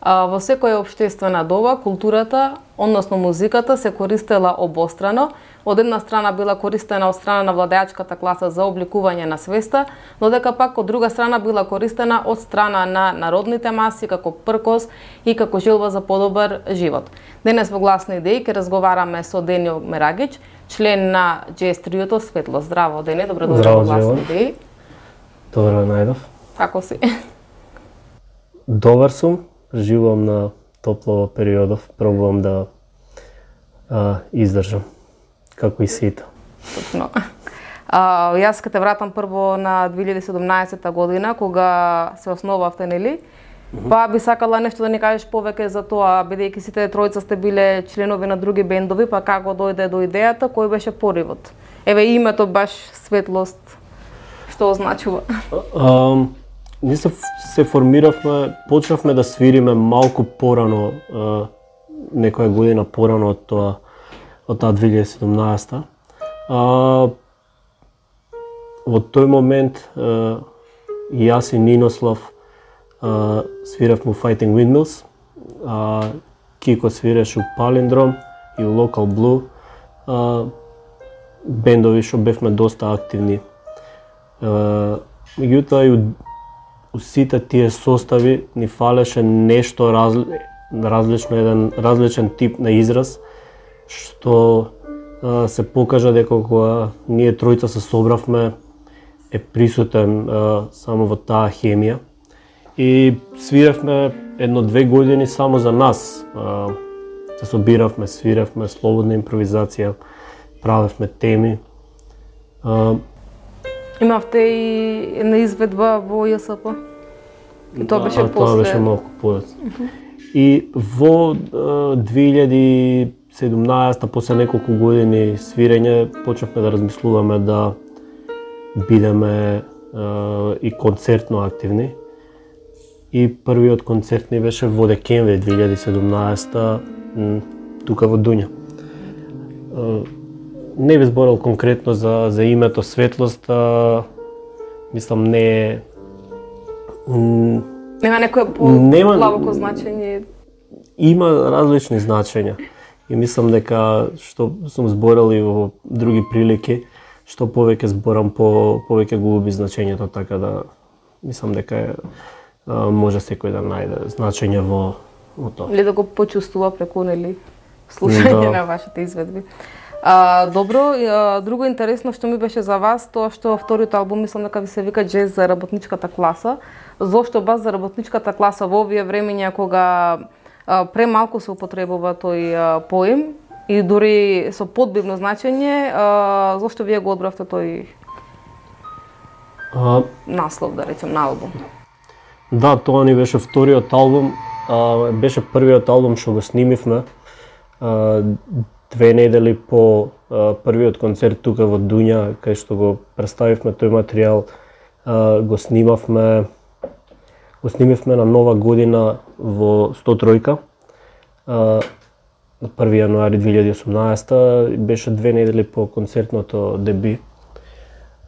Во секоја општествена доба, културата, односно музиката, се користела обострано. Од една страна била користена од страна на владеачката класа за обликување на свеста, но дека пак од друга страна била користена од страна на народните маси како пркос и како желба за подобар живот. Денес во Гласни идеи ќе разговараме со Денио Мерагич, член на Джез триото Светло. Здраво, Дени, добро дојде во Гласни идеи. Добро најдов. Како си? Добар сум, живеам на топло периодов, пробувам да издржам, како и сите. Точно. Јас ќе те вратам прво на 2017 година, кога се основавте, нели? Па би сакала нешто да ни кажеш повеќе за тоа, бидејќи сите тројца сте биле членови на други бендови, па како дојде до идејата, кој беше поривот? Еве името баш Светлост, што означува? Ние се формиравме, почнавме да свириме малку порано, некоја година порано од таа 2017. Во тој момент јас и Нинослав свиравме у Fighting Windmills, Кико свиреше у Palindrome и у Local Blue, бендови што бевме доста активни. Меѓутоа и у сите тие состави ни фалеше нешто различно, еден различен тип на израз, што се покажа дека кога ние тројца се собравме е присутен само во таа хемија. И свиравме 1-2 години само за нас. Се собиравме, свиравме, слободна импровизација, правевме теми. Имавте и една изведба во ЈСП? И тоа беше после? Тоа беше малку подоцна. И во 2017, после неколку години свирење, почнавме да размислуваме да бидеме и концертно активни. И првиот концерт ни беше во декември 2017 тука во Дуња. Не би зборил конкретно за името Светлост, мислам не е... Нема некоја по-длабоко значење? Има различни значења. И мислам дека, што сум зборил и во други прилики, што повеќе зборам, повеќе го губи значењето, така да мислам дека може секој да најде значење во тоа. Или да го почувствува преку, нели, слушање на вашите изведби. Добро, друго интересно што ми беше за вас, тоа што вториот албум, мислам дека ви се вика Джез за работничката класа. Зошто баш за работничката класа во овие времења кога премалку се употребува тој поем и дури со подбивно значење, зошто вие го одбравте тој наслов, да речем, на албум? Да, тоа ни беше вториот албум, беше првиот албум што го снимивме. 2 недели по првиот концерт тука во Дуња, кај што го представивме тој материјал, го снимивме на Нова година во 103-ка, на 1 јануари 2018, беше 2 недели по концертното деби.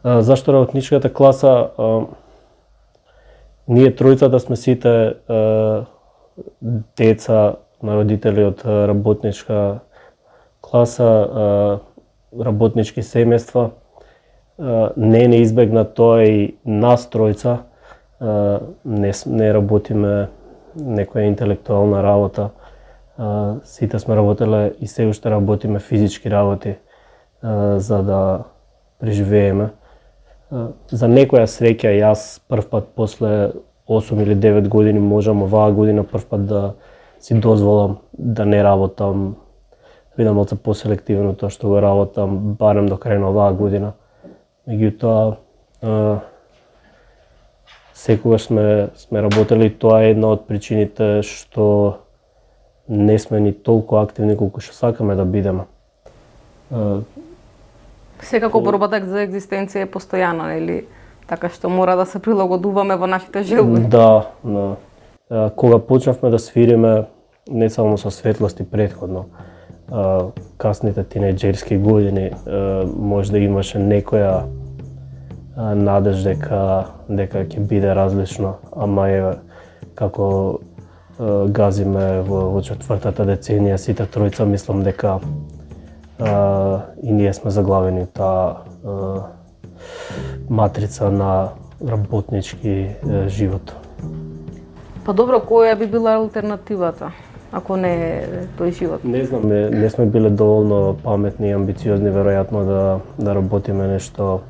Зашто работничката класа? Ние тројцата сме сите деца на родители од работничка класа, работнички семејства. Не е неизбегна тоа и нас тројца. Не работиме некоја интелектуална работа. Сите сме работеле и се уште работиме физички работи за да преживееме. За некоја среќа јас првпат после 8 или 9 години можам оваа година првпат да си дозволам да не работам, бидам малку поселективно тоа што го работам барем до крај на оваа година. Меѓутоа секогаш сме работели, тоа е една од причините што не сме ни толку активни колку што сакаме да бидеме. Секако борбата за екзистенција е постојана, нели? Така што мора да се прилагодуваме во нашите желби. Да. Кога почнавме да свириме, не само со Светлост и претходно, касните тинејџерски години, може да имаше некоја надеж дека ќе биде различно, ама е како газиме во четвртата деценија, сите тројца, мислам дека и ние сме заглавени таа матрица на работнички живот. Па добро, која би била алтернативата, ако не е тој живот? Не знам, не сме биле доволно паметни и амбициозни веројатно да работиме нешто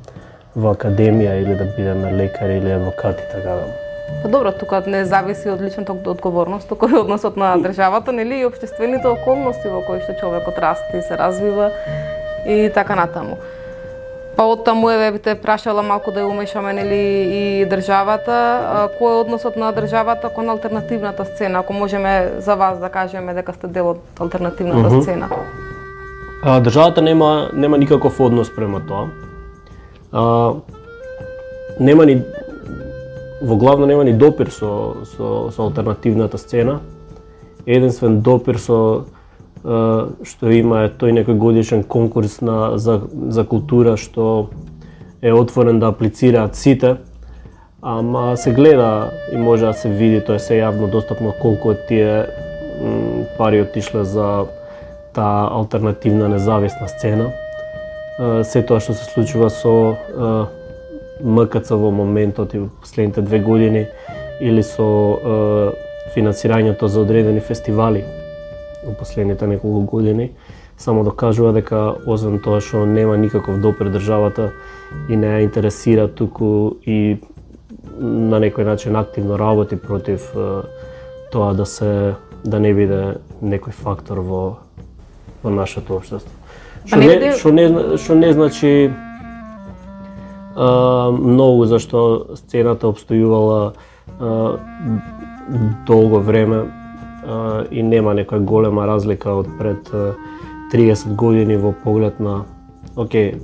во академија или да бидеме лекари или адвокати, така да. Па добро, тука не зависи од личната одговорност, тука е односот на државата, нели, и општествените околности во кои што човекот расте и се развива и така натаму. Па од таму би те прашала малку да ја умешаме, нели, и државата. Кој е односот на државата кон алтернативната сцена, ако можеме за вас да кажеме дека сте дел од алтернативната сцена? Државата нема никаков однос према тоа. Во главно нема ни допир со алтернативната сцена. Единствен допир што има е тој некој годишен конкурс за култура што е отворен да аплицираат сите, ама се гледа и може да се види, тоа се јавно достапно колку од тие пари отишле за таа алтернативна независна сцена. Се тоа што се случува со МКЦ во моментот и во последните 2 години или со финансирањето за одредени фестивали во последните неколку години, само докажува дека освен тоа што нема никаков допир државата и не ја интересира, туку и на некој начин активно работи против тоа да не биде некој фактор во нашето општество. Што не значи многу, зашто сцената обстојувала долго време и нема некоја голема разлика од пред 30 години во поглед на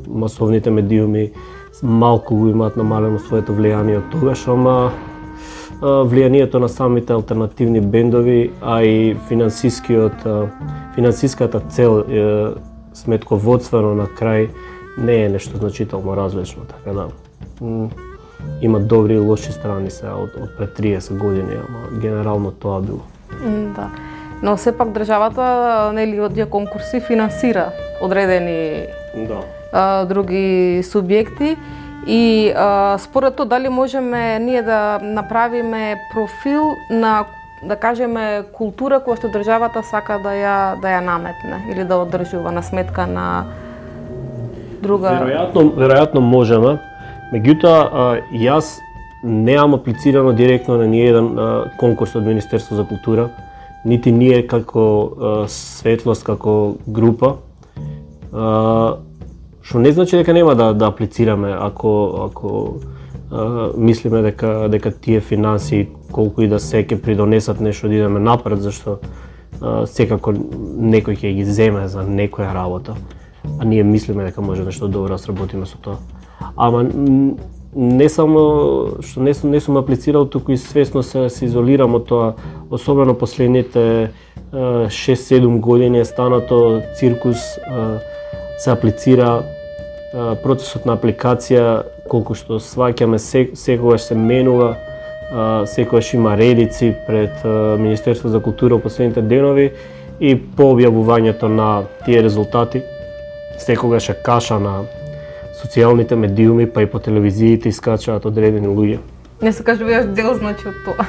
масовните медиуми малку го имаат намалено своето влијание од тогаш, ама влијанието на самите алтернативни бендови, а и финансиската цел сметководствено на крај не е нешто значително различно, така да има добри и лоши страни се од пред 30 години, ама генерално тоа било. Да. Но сепак државата, нели, од тие конкурси финансира одредени други субјекти и според тоа дали можеме ние да направиме профил на, да кажеме, култура која што државата сака да ја наметне или да одржува на сметка на друга? Веројатно можеме. Меѓутоа, јас неам аплицирано директно на ниеден конкурс од Министерство за култура, нити ние како Светлост, како група, што не значи дека нема да аплицираме ако мислиме дека тие финанси колку и да се ќе придонесат нешто да идеме напред, зашто секако некој ќе ги земе за некоја работа, а ние мислиме дека може нешто добро да сработиме со тоа. Ама не само што не сум аплицирал, туку и свесно се изолирам од тоа, особено последните 6-7 години е станато циркус, се аплицира, процесот на апликација, колку што сваќаме, секогаш се менува, секогаш има редици пред Министерство за култура во последните денови и по објавувањето на тие резултати, секогаш е каша на социјалните медиуми, па и по телевизиите искачаат одредени луѓе. Не се кажува јас дел, значи, од тоа,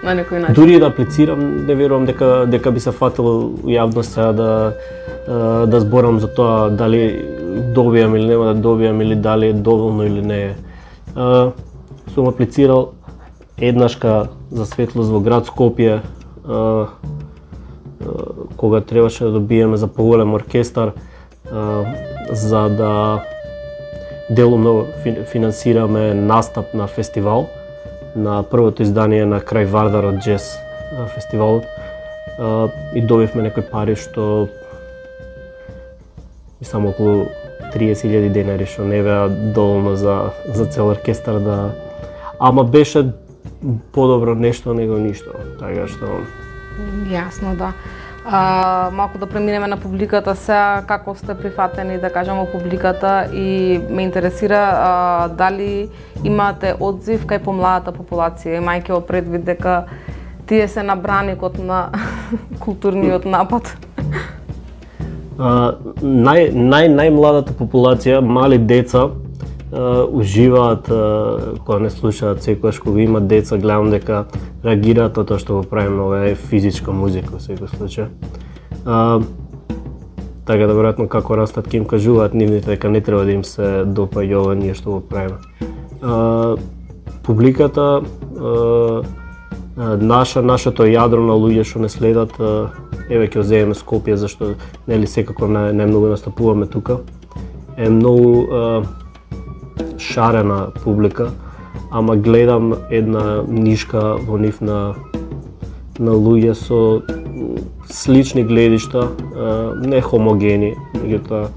на некој начин. Дури да аплицирам, не верувам дека би се фатило јавноста да зборам за тоа дали добијам или нема да добијам, или дали е доволно или не е. Сум аплицирал еднашка за Светлост во град Скопје, кога требаше да добиеме за поголем оркестар, за да делумно финансираме настап на фестивал, на првото издание на крај Вардарот джез фестивалот, и добивме некои пари што и само околу 30.000 денари, што не беа доволно за цел оркестар да... Ама беше подобро нешто него ништо, така што... Јасно, да. Малку да преминеме на публиката сега, како сте прифатени, да кажам, во публиката, и ме интересира дали имате одзив кај помладата популација, имајќи во предвид дека тие се на браникот на културниот напад? Најмладата популација, мали деца, уживаат кога не слушаат, секогаш кога имат деца, гледам дека реагираат на тоа што го правиме, ова е физичка музика во секој случај. Така да веројатно како растат ќе им кажуваат нивните дека не треба да им се допаѓа ова ние што го правиме. Публиката, нашето јадро на луѓе што не следат, еве ќе земеме Скопје, зашто нели секако најмногу настапуваме тука. Е многу шарена публика, ама гледам една нишка во нив на луѓе со слични гледишта, не хомогени, меѓутоа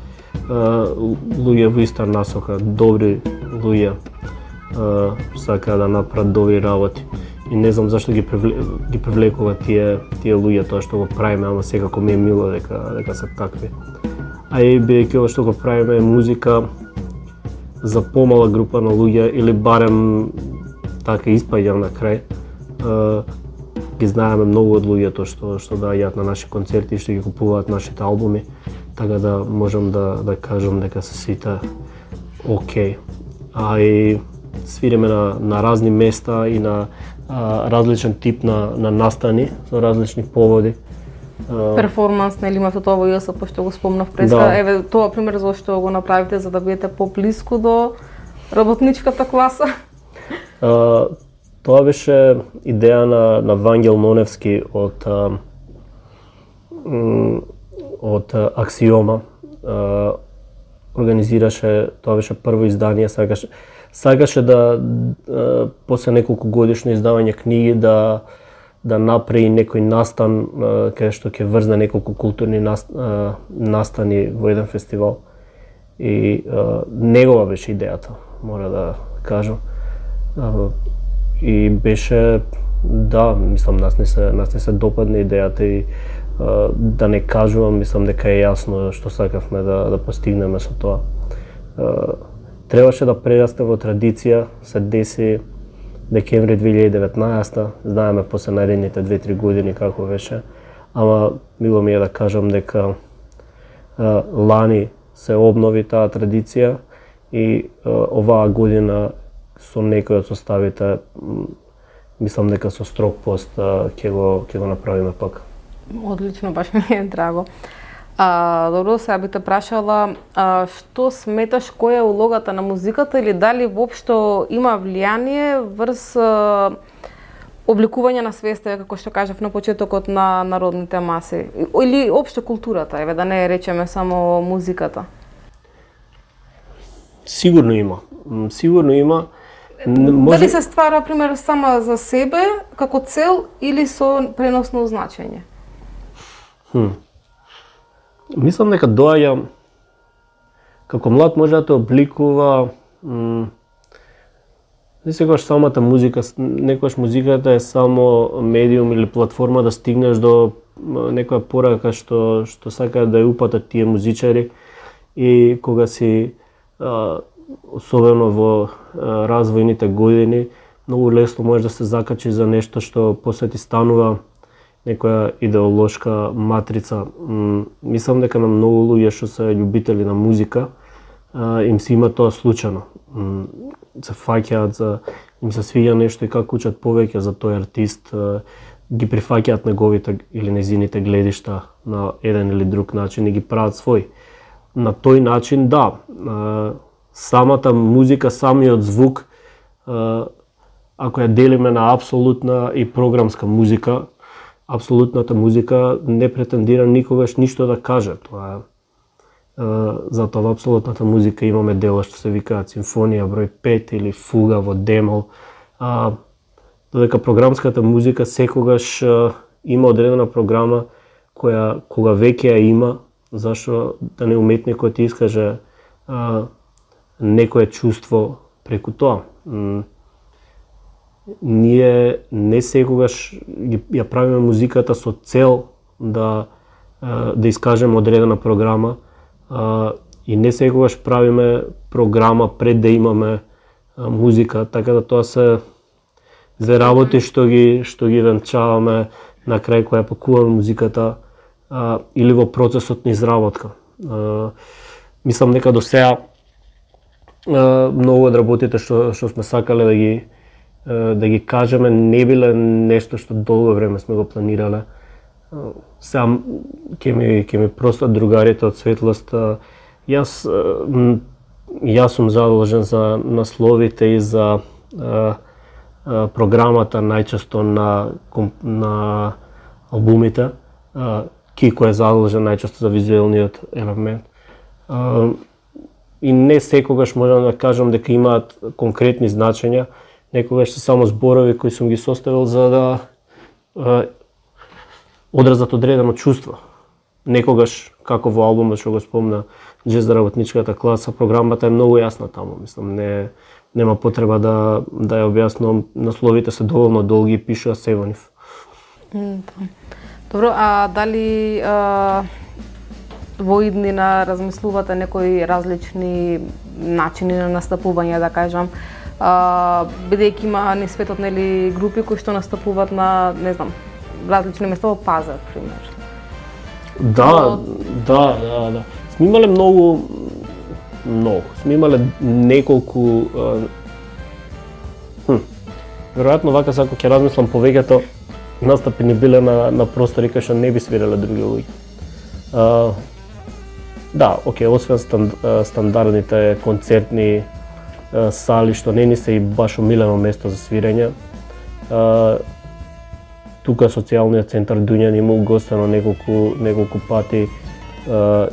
луѓе во иста насока, добри луѓе, сакаат да направат добри работи. И не знам зашто ги привлекува тие луѓе тоа што го правиме, ама секако ми е мило дека се такви. А и бидејќи ова што го правиме е музика за помала група на луѓе, или барем така испаѓам на крај, ги знаеме многу од луѓето што доаѓаат на наши концерти и што ги купуваат нашите албуми, така да можам да кажам дека се сите окей. А и свириме на разни места и на различен тип на настани со различни поводи. Перформанс, нели имате тоа во ЈСП што го спомнав преска. Да. Еве тоа пример зашто го направите за да бидете поблиску до работничката класа? Тоа беше идеја на Вангел Ноневски од Аксиома. Организираше, тоа беше прво издание, сакаше да после неколку годишно издавање книги да направи некој настан каде што ќе врзне неколку културни настани во еден фестивал. И негова беше идејата, мора да кажам. И беше, да, мислам, нас не се допадна идејата и да не кажувам, мислам дека е јасно што сакавме да постигнеме со тоа. Требаше да прерасте во традиција, се деси декември 2019, знаеме после наредните 2-3 години како беше, ама мило ми е да кажам дека лани се обнови таа традиција и оваа година со некои од составите, мислам дека со строг пост ќе го направиме пак. Одлично, баш ми е драго. Добро, сега би те прашала, што сметаш, која е улогата на музиката или дали воопшто има влијание врз обликување на свеста, како што кажав на почетокот на народните маси, или општо културата, еве да не речеме само музиката? Сигурно има. Дали се ствара, пример, сама за себе, како цел, или со преносно значење? Мислам дека доаѓа, како млад може да те обликува, не секогаш самата музика, некогаш музиката е само медиум или платформа да стигнеш до некоја порака што сакаат да ја упатат тие музичари, и кога си особено во развојните години, многу лесно можеш да се закачиш за нешто што после ти станува некоја идеолошка матрица. Мислам дека на многу луѓе што се љубители на музика, им се има тоа случајно. Се фаќаат, им се свиѓа нешто и како учат повеќе за тој артист, ги прифаќаат неговите или незините гледишта на еден или друг начин и ги прават свој. На тој начин, да, самата музика, самиот звук, ако ја делиме на апсолутна и програмска музика, апсолутната музика не претендира никогаш ништо да каже. Тоа затоа во апсолутната музика имаме дела што се викаат симфонија број 5 или фуга во демол. Додека програмската музика секогаш има одредена програма која кога веќе ја има, зашто да не уметникот ти искаже некое чувство преку тоа. Ние не секогаш ја правиме музиката со цел да искажеме одредена програма, и не секогаш правиме програма пред да имаме музика, така да тоа се две работи што ги венчаваме на крај кога пакуваме музиката или во процесот на изработка. Мислам дека до сега многу од работите што сме сакале да ги кажеме не биле нешто што долго време сме го планирале. Сега ќе ми простат другарите од Светлост. Јас сум задолжен за насловите и за програмата најчесто на албумите. Кико е задолжен најчесто за визуелниот елемент. И не секогаш можам да кажам дека имаат конкретни значења, некогаш се само зборови кои сум ги составил за да одразат одредено чувство. Некогаш, како во албумот што го спомна Джез за работничката класа, програмата е многу јасна таму, мислам, нема потреба да ја објаснувам, насловите се доволно долги, пишува се во нив. Добро, а дали во иднина размислувате некои различни начини на настапување, да кажам, бидејќи има низ светот нели групи кои што настапуваат на, не знам, различни места во пазар, пример. Да. Сме имале многу. Сме имале неколку веројатно вака ако ќе размислам повеќето настапи не биле на простори кај што не би свиреле други луѓе. Да, окей, освен стандардните концертни сали што не ни се и баш омилено место за свирење. Тука социјалниот центар Дуњан има угостено неколку пати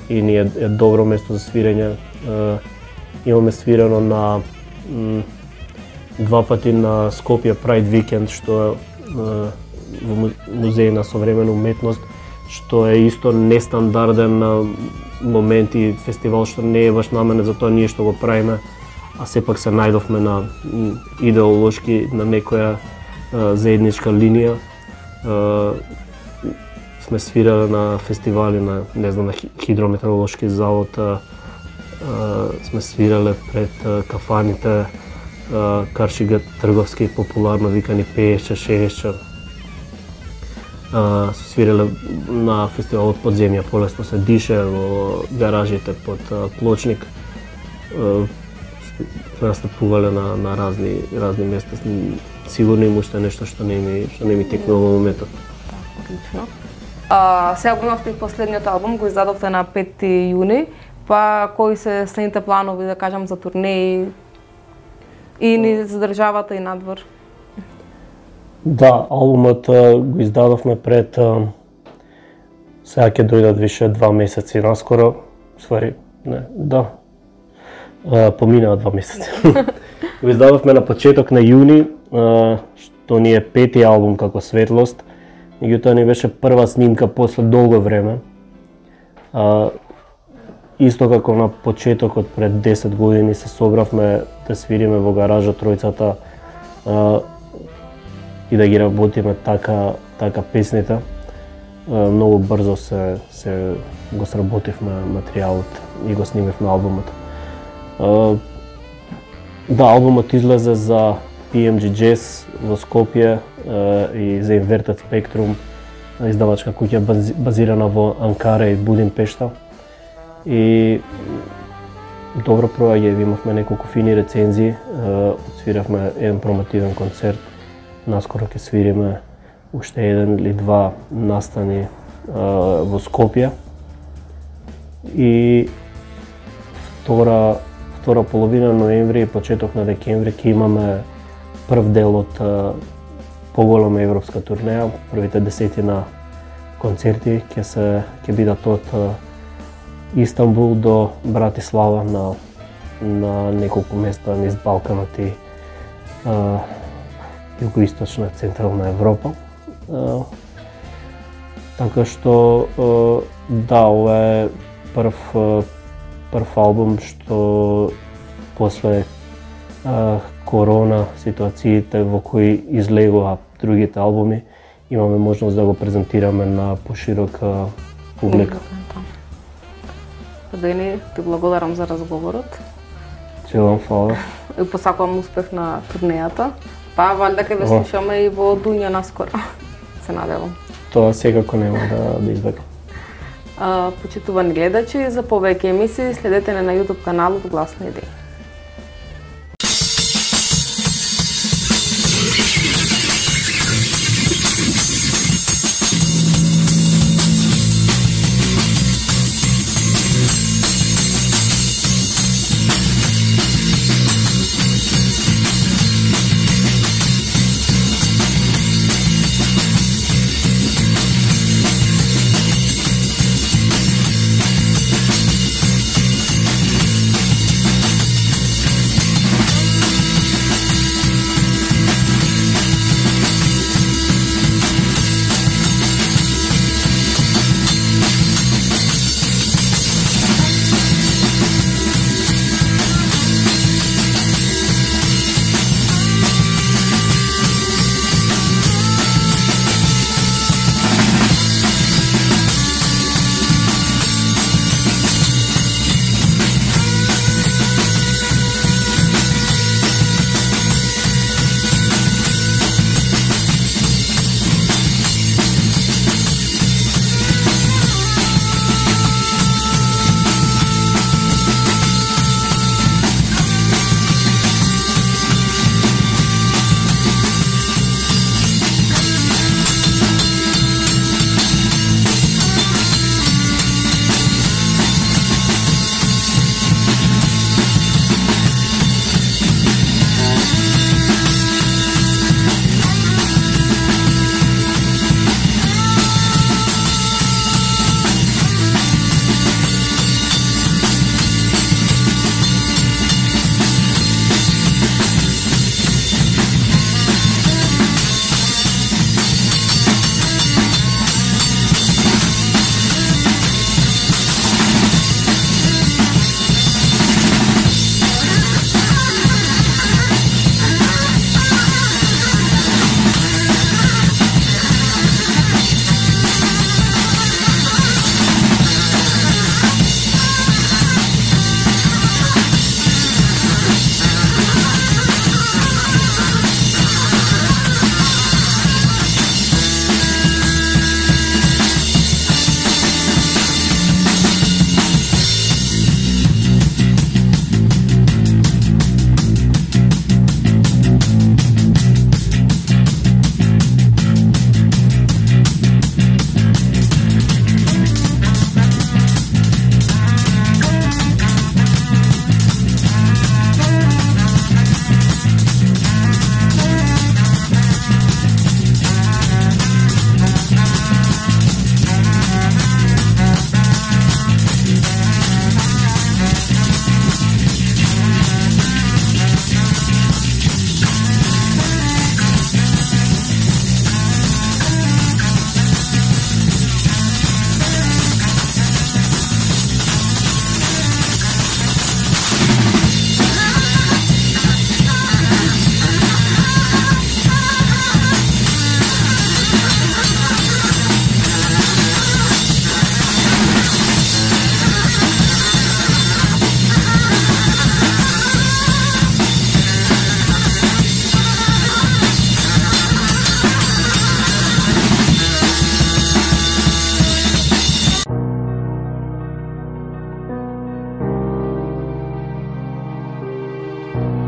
и ни е добро место за свирење. Имаме свирено на 2 пати на Скопје Pride Weekend, што е во музеј на современа уметност, што е исто нестандарден момент и фестивал што не е баш наменет за тоа ние што го правиме, а сепак се најдовме на идеолошки на некоја заедничка линија. Сме свирале на фестивали на, не знам, на Хидрометеоролошки завод, сме свирале пред кафаните, Каршига трговски, популарно викани Пеешче, Шеешче. Свирале на фестивалот Подземја, полесно се дише во гаражите под Плочник. Сме настапувале на разни места. Сигурно има уште нешто што не ми текнува во моментот. Одлично. Сега го имавте и последниот албум, го издадовте на 5 јуни, па кои се следните планови, да кажам, за турнеи и ни задржавата и надвор? Да, албумот го издадовме пред сега ќе дојдат више 2 месеци наскоро, поминаа 2 месеци. Го издадовме на почеток на јуни, што ни е 5-ти албум како Светлост. Меѓутоа ни беше прва снимка после долго време. Исто како на почетокот пред 10 години се собравме да свириме во гаража тројцата и да ги работиме така песните. Многу брзо се го сработивме материјалот и го снимивме албумот. Да, албумот излезе за PMG Jazz во Скопје и за Inverted Spectrum, издавачка куќа базирана во Анкара и Будимпешта. И добро проаѓа, имавме неколку фини рецензии, свиравме еден промотивен концерт, наскоро ќе свириме уште 1 или 2 настани во Скопје. И втора половина ноември и почеток на декември ќе имаме прв дел од поголема европска турнеја. Првите 10 концерти ќе бидат од Истанбул до Братислава на неколку места низ Балканот и југоисточна централна Европа. Така што да, ова е прв албум што после корона ситуациите во кои излегоа другите албуми, имаме можност да го презентираме на поширока публика. Дени, ти благодарам за разговорот. Желам фала. И посакувам успех на турнејата. Па, валјда ќе ве слушаме и во Дунја наскоро. Се надевам. Тоа секако нема да избегам. Почитувани гледачи, за повеќе емисии следете на YouTube каналот Гласна идеја. you.